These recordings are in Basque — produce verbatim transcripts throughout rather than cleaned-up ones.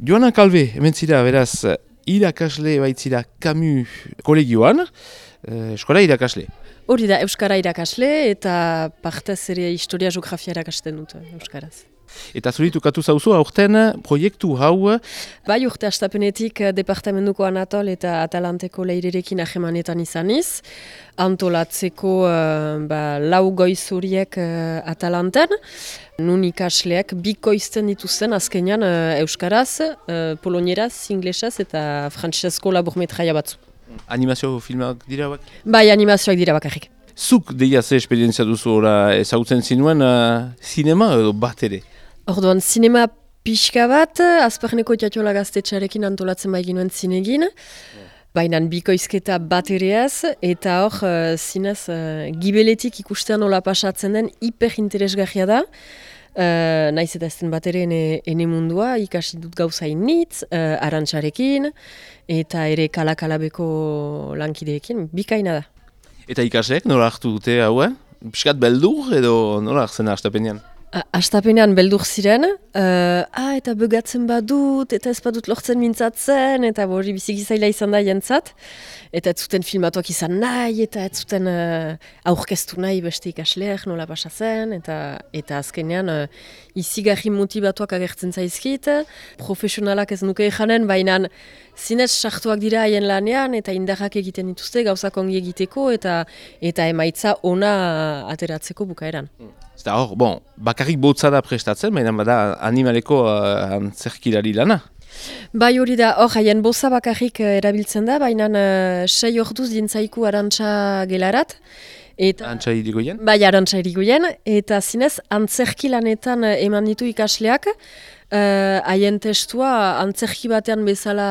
Joana Kalbe, hemen zira, beraz, irakasle baitzira Camus kolegioan, eh, eskola irakasle. Hori da, Euskara irakasle eta partez ere historia geografia irakasten dut Euskaraz. Eta zuritukatu zauzu, aurten proiektu hau... Bai, urte astapenetik departamentuko Anatol eta Atalanteko leirerekin ahemanetan izaniz, antolatzeko uh, ba, lau goiz horiek uh, Atalanten, nun ikasleak bikoizten dituzten azkenean uh, Euskaraz, uh, polonieraz, inglesez eta frantsesezko laburmetraia batzu. Animazio filmak dira bak? Bai, animazioak dira bakarrik. Zuk deia ze esperientzia duzu ora ezagutzen zinuen uh, zinema edo bat ere? Orduan, zinema pixka bat, Azparneko Tiatiola Gaztetxearekin antolatzen bai ginuen zinegin, baina bikoizketa bat ereaz, eta hor, uh, zinez, uh, gibeletik ikustean nola pasatzen den hiperinteresgarria da, uh, naiz eta ez den bat ere ene, ene mundua, ikasi dut gauza initz, uh, arantxarekin, eta ere kalakalabeko lankideekin, bikaina da. Eta ikasleek nola hartu dute hau, eh? Piskat beldur edo nola hartzen da astapenean? Astapenean beldur ziren, uh, ah, eta begatzen badut, eta ez badut lortzen mintzatzen, eta hori biziki zaila izan da jentzat, eta ez zuten filmatuak izan nahi, eta ez zuten uh, aurkeztu nahi beste ikasleak nola pasatzen, eta, eta azkenean uh, izigarri motibatuak agertzen zaizkit, profesionalak ez nuke janen, baina zinez sartuak dira haien lanean, eta indarrak egiten dituzte, gauzak ongi egiteko, eta, eta emaitza ona ateratzeko bukaeran. Eta hor, bon, bakarrik botza da prestatzen, baina bada animaleko uh, antzerkilari lana. Bai hori da, hor, haien boza bakarrik uh, erabiltzen da, baina uh, sei orduz dintzaiku arantxa gelarat. Eta, Arantxa irigoien? Bai, arantxa irigoien, eta zinez antzerki lanetan uh, eman ditu ikasleak, haien uh, testua antzerki batean bezala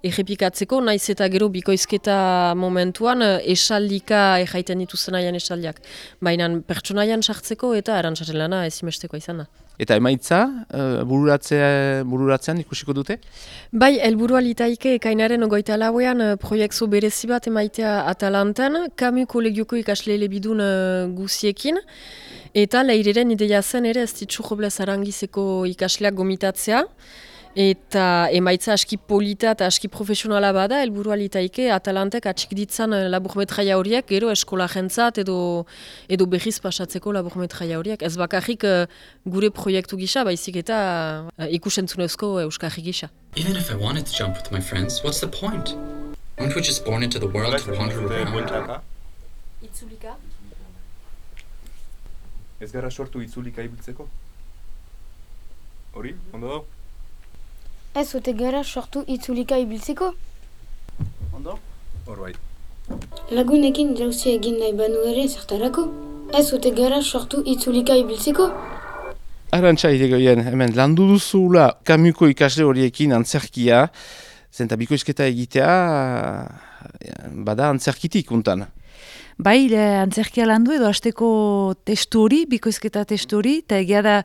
errepikatzeko, naiz eta gero bikoizketa momentuan uh, esaldika erraiten dituzten haien esaldiak. Baina pertsonaian sartzeko eta arantxaren lana ezimesteko izan da. Eta emaitza, uh, bururatzea, bururatzean ikusiko dute? Bai, helburua litaike ekainaren ogoita lauean uh, proiektu berezi bat emaitea Atalanten, Camus kolegioko ikasle elebidun uh, guziekin, eta leireren ideia zen ere ez ditzu Robles Arangizeko ikasleak gomitatzea, eta emaitza aski polita eta aski profesionala bada, helburua litaike Atalantek atxik ditzan laburmetraia horiek, gero eskola jentzat edo, edo berriz pasatzeko laburmetraia horiek. Ez bakarrik uh, gure proiektu gisa, baizik eta uh, ikusentzunezko euskarri gisa. Even if I wanted to jump with my friends, what's the point? Aren't we just born into the world to wander around? Itzulika? Ez gara sortu itzulika ibiltzeko? Hori, ondo da? Ez ote gara sortu itzulika ibiltzeko? Ondo? Hor bai. Lagunekin jauzia egin nahi banu ere zertarako? Ez ote gara sortu itzulika ibiltzeko? Arantxa irigoien, hemen landu duzula Camusko ikasle horiekin antzerkia, zenta bikoizketa egitea, bada antzerkitik untan. Bai, antzerkia landu edo hasteko testu hori, bikoizketa testu hori, eta egia da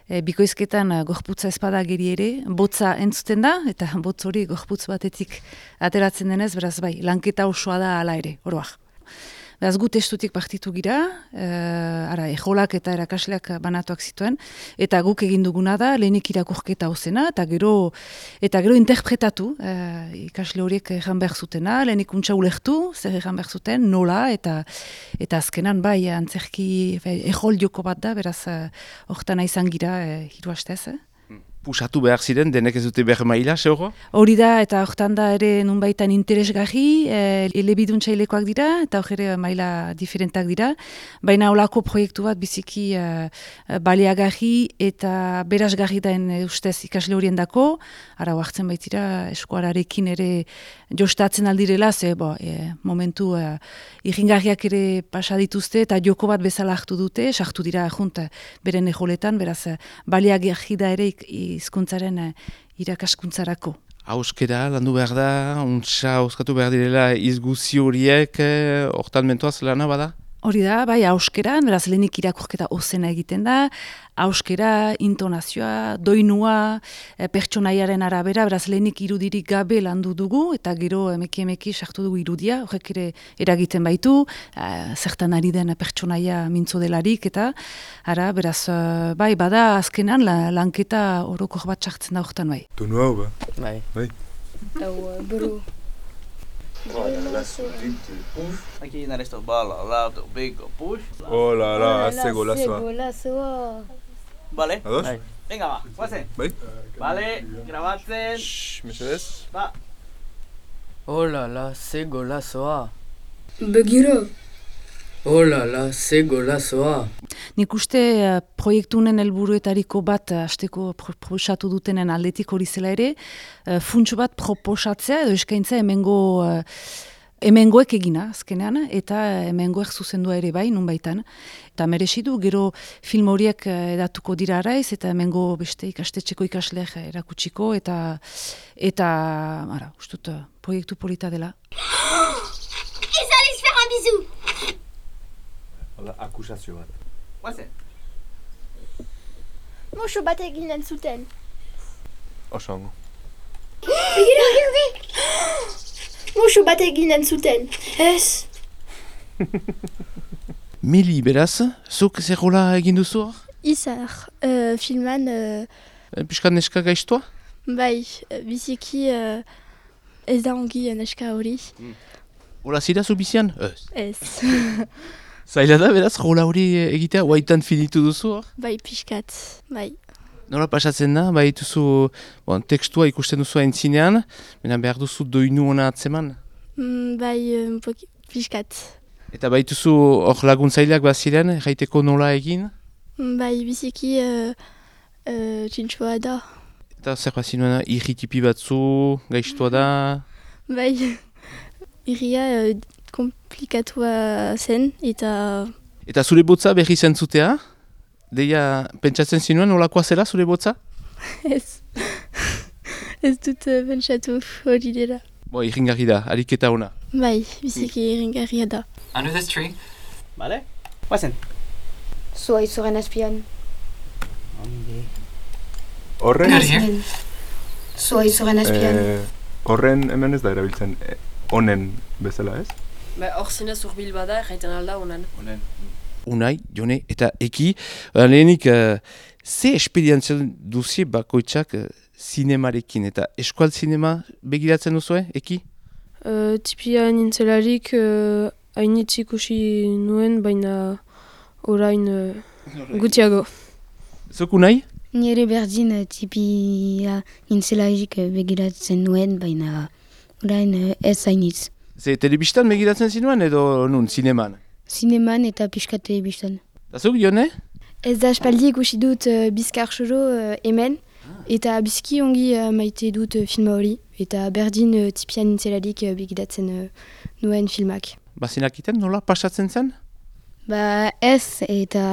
e, bikoizketan gorputza ezpada geri ere, botza entzuten da, eta botz hori gorputz batetik ateratzen denez, beraz bai, lanketa osoa da ala ere, oroak. Beraz, gu testutik partitu gira, e, ara, ejolak eta erakasleak banatuak zituen, eta guk egin duguna da, lehenik irakurketa hozena, eta gero, eta gero interpretatu, e, ikasle horiek egan behar zutena, lehenik untxa ulertu, zer egan behar zuten, nola, eta eta azkenan bai, antzerki, ejol joko bat da, beraz, hortana izan gira, e, hiru hastez, eh? Pusatu behar ziren, denek ez dute behar maila, zehorro? Hori da, eta hortan da ere nunbaitan interesgarri, e, elebiduntxailekoak dira, eta hor ere maila diferentak dira, baina holako proiektu bat biziki e, baliagarri eta berazgarri daen e, ustez ikasle horien dako, ara hartzen baitira eskuararekin ere jostatzen aldirela, ze bo, e, momentu e, irringarriak ere pasa dituzte, eta joko bat bezala hartu dute, sartu dira junt beren ejoletan, beraz baliagarri da ere ik, hizkuntzaren irakaskuntzarako. Hauskera, landu behar da, untsa hauskatu behar direla izguzi horiek, hortan mentoaz lana bada? Hori da, bai, hauskeran, beraz lehenik irakurketa ozena egiten da, hauskera, intonazioa, doinua, e, pertsonaiaren arabera, beraz lehenik irudirik gabe landu dugu, eta gero emeki emeki sartu dugu irudia, horrek ere eragiten baitu, e, zertan ari den pertsonaia mintzo delarik, eta ara, beraz, e, bai, bada azkenan la, lanketa orokor bat sartzen da horretan bai. Tonu hau, ba? Bai. Bai. Hau, buru. Aquí en esto bala, lado, big push. Oh la la, hace golazoa. golazoa. Vale. Ados? Bai. Venga, va, guazen. Bai? Vale, grabatzen. Shhh, mesedez. Va. Oh la la, ze golazoa. Begira. Oh la la, ze golazoa. Nik uste uh, proiektunen helburuetariko bat uh, hasteko pro proposatu dutenen aldetik hori zela ere, uh, funtsu bat proposatzea edo eskaintza hemengo uh, hemengoek egina azkenean, eta hemengoek zuzendua ere bai, nunbaitan. Eta merezi du, gero film horiek uh, edatuko dira araiz, eta hemengo beste ikastetxeko ikasleek erakutsiko, eta eta ara, ustut uh, proiektu polita dela. Ez aliz faire un bisou. Hala, akusazio bat. Guazen. Moxo bat eginen zuten. Oso ongo. Begira, begira. Moxo bat eginen zuten. Ez. Mili, beraz, zuk zerrola egin duzu hor? Izar, uh, filman, uh, Piskat neska gaiztua? bai, uh, biziki uh, ez da ongi uh, neska hori. Hola zira zu bizian? Ez. Ez, Zaila da, beraz, rola hori egitea, guaitan finitu duzu hor? bai, pixkat, bai. Nola pasatzen da, bai duzu, bon, tekstua ikusten duzu aintzinean, baina behar duzu doinu hona atzeman. Mm, bai, um, poki- pixkat. Eta bai duzu hor laguntzaileak baziren, jaiteko nola egin? Mm, bai, biziki uh, uh, txintxoa da. Eta zer bazinuen, irritipi batzu, gaiztua da? Bai, irria uh, komplikatua zen, eta Eta zure botza berri zentzutea? Deia, pentsatzen zinuen, nolakoa zela zure botza? ez, ez dut uh, pentsatu hori dela. Bo, irringarri da, ariketa ona. Bai, biziki iringarria da. Under this tree? Vale. Guazen. Zua izoren azpian. Horren, Good here. Zua izoren azpian. eh, horren hemen ez da erabiltzen eh, honen bezala, ez? Ba, hor zinez urbil bada, erraiten alda honan. Unai, Jone, eta Eki, uh, lehenik, uh, ze esperientzia duzie bakoitzak uh, zinemarekin, eta eskual zinema begiratzen duzue, Eki? Uh, tipia nintzelarik uh, hainitz ikusi nuen, baina orain uh, gutiago. Zuk Unai? Nire berdin uh, tipia nintzelarik uh, begiratzen nuen, baina orain uh, ez zainitz. Ze telebistan begiratzen zinuen edo nun, zineman? Zineman eta pixka telebistan. Eta zuk, Jone? Ez da espaldi ikusi dut uh, bizkar xoro uh, hemen, eta bizki ongi uh, maite dut uh, filma hori, eta berdin uh, tipia nintzelarik uh, begiratzen uh, nuen filmak. Bazinak iten, nola pasatzen zen? Ba ez, eta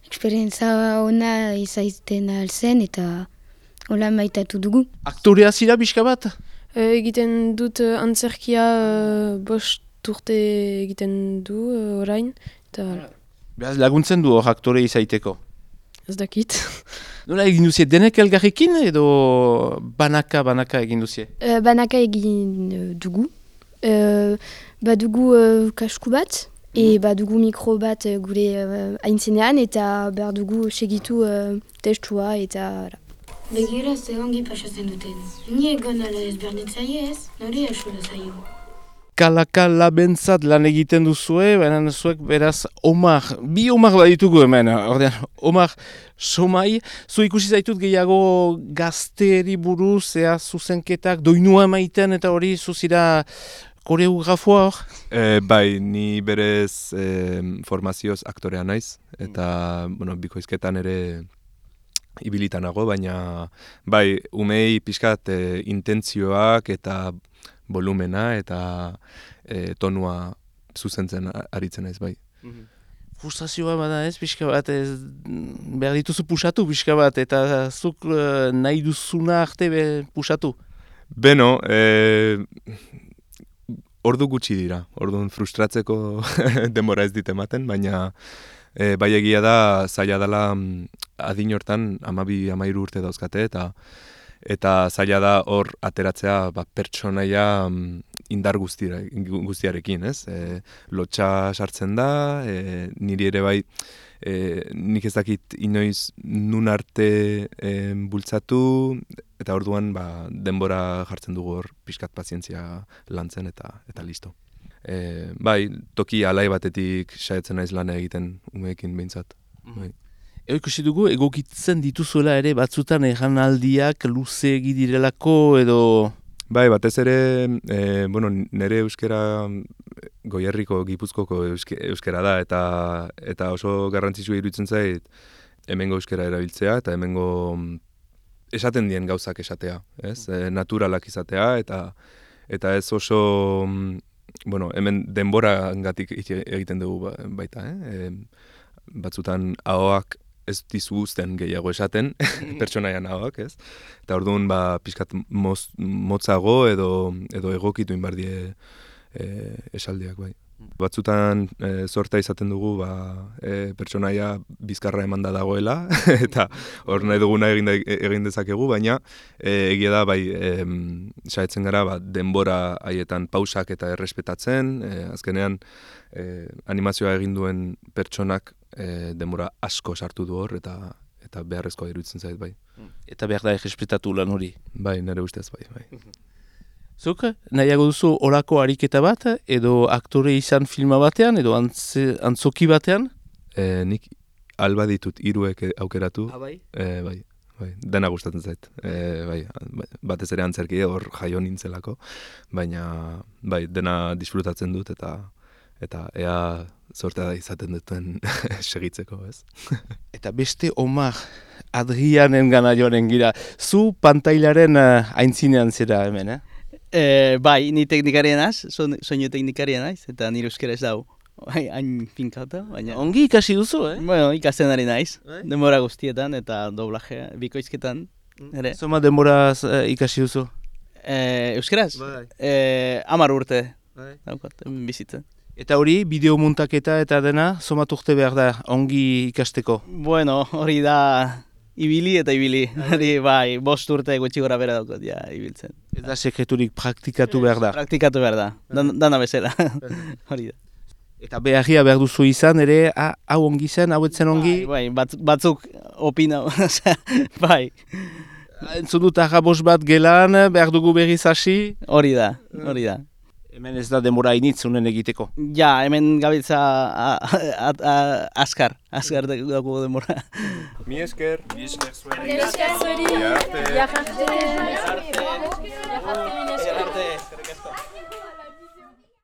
eksperientza ona izaiten alzen, eta hola maitatu dugu. Aktorea zira pixka bat? Uh, egiten dut uh, antzerkia uh, bost urte egiten du uh, orain, eta Beraz laguntzen du hor aktore izaiteko. ez dakit. Nola egin duzie, denek elgarrekin edo banaka-banaka egin duzie? Uh, banaka egin uh, dugu. Uh, badugu uh, kasku bat, e badugu mikro bat uh, gure uh, aintzinean, eta behar dugu segitu uh, testua, eta ara. Begira ze ongi pasatzen duten. Ni egon ala ez berdin zaie ez, nori asura zaio. Kala-kala bentzat lan egiten duzue, baina zuek beraz Omar, bi Omar baditugu hemen, ordean, Omar Somai, zu ikusi zaitut gehiago gazteri buruz, ea zuzenketak, doinua emaiten eta hori zuzira koreografoa hor? Eh, bai, ni berez eh, formazioz aktorea naiz, eta bueno, bikoizketan ere ibilitanago, baina bai, umei pixkat eh, intentzioak eta volumena eta e, tonua zuzentzen a- aritzen naiz bai. Frustrazioa bada ez, pixka bat, ez, behar dituzu pusatu pixka bat, eta zuk eh, nahi duzuna arte be, pusatu. Beno, e, ordu gutxi dira, orduan frustratzeko denbora ez dit ematen, baina e, bai egia da zaila dela adin hortan hamabi hamairu urte dauzkate, eta eta zaila da hor ateratzea ba, pertsonaia indar guztira, guztiarekin, ez? E, lotxa sartzen da, e, niri ere bai, e, nik ez dakit inoiz nun arte e, bultzatu, eta orduan ba, denbora jartzen dugu hor pixkat pazientzia lantzen eta eta listo. E, bai, toki alai batetik saiatzen naiz lana egiten umeekin behintzat. Bai. Ego ikusi dugu, egokitzen dituzuela ere batzutan erranaldiak luze egidirelako edo... Bai, batez ere, e, bueno, nire euskera Goierriko, Gipuzkoko euske, euskera da, eta eta oso garrantzitsua iruditzen zait hemengo euskera erabiltzea, eta hemengo esaten dien gauzak esatea, ez? E, naturalak izatea, eta eta ez oso, bueno, hemen denborangatik egiten dugu baita, eh? E, batzutan ahoak ez dizu uzten gehiago esaten, pertsonaian ahoak, ez? Eta orduan, ba, pixkat moz, motzago edo, edo egokitu inbardie e, esaldiak, bai. Batzutan e, zorta izaten dugu, ba, e, pertsonaia bizkarra emanda dagoela, eta hor nahi duguna egin, egin dezakegu, baina e, egia da, bai, e, saiatzen gara, ba, denbora haietan pausak eta errespetatzen, e, azkenean e, animazioa egin duen pertsonak E, denbora asko sartu du hor, eta eta beharrezkoa iruditzen zait, bai. Eta behar da errespetatu lan hori. Bai, nire ustez, bai. bai. Zuk, nahiago duzu olako ariketa bat, edo aktore izan filma batean, edo antze, antzoki batean? E, nik alba ditut hiruek aukeratu. Ah, bai? E, bai, bai, dena gustatzen zait. E, bai, batez ere antzerki hor jaio nintzelako, baina bai, dena disfrutatzen dut, eta eta ea zortea da izaten duten segitzeko, ez? Eta beste Omar Adrianen gana joanen gira. Zu pantailaren uh, aintzinean zera hemen, eh? E, bai, ni teknikarien naiz, soinu teknikarien naiz, eta nire euskera ez dago. Bai, hain finkata, baina... Ongi ikasi duzu, eh? Bueno, ikasten ari naiz, denbora guztietan eta doblaje bikoizketan. Ere. Zoma denboraz uh, ikasi duzu? E, euskeraz? Bai. E, amar urte, bai. Daukat, bizitzen. Eta hori, bideo muntaketa eta dena, somat urte behar da, ongi ikasteko? Bueno, hori da ibili eta ibili. Hori, bai, bost urte gutxi gora bera daukot, ja, ibiltzen. Ez da sekreturik praktikatu behar da? Praktikatu behar da, Dan, dana bezala. Hori da. Eta beharria behar duzu izan, ere, hau ongi zen, hau etzen ongi? Bai, bai bat, batzuk opina, bai. Entzun dut arrabos bat gelan, behar dugu berriz hasi? Hori da, hori da. Hemen ez da denbora initz unen egiteko. Ja, hemen gabiltza askar, askar dago denbora. Mi esker. Mi esker zuen. Mi esker zuen. Mi esker zuen. Mi esker zuen. Mi esker zuen.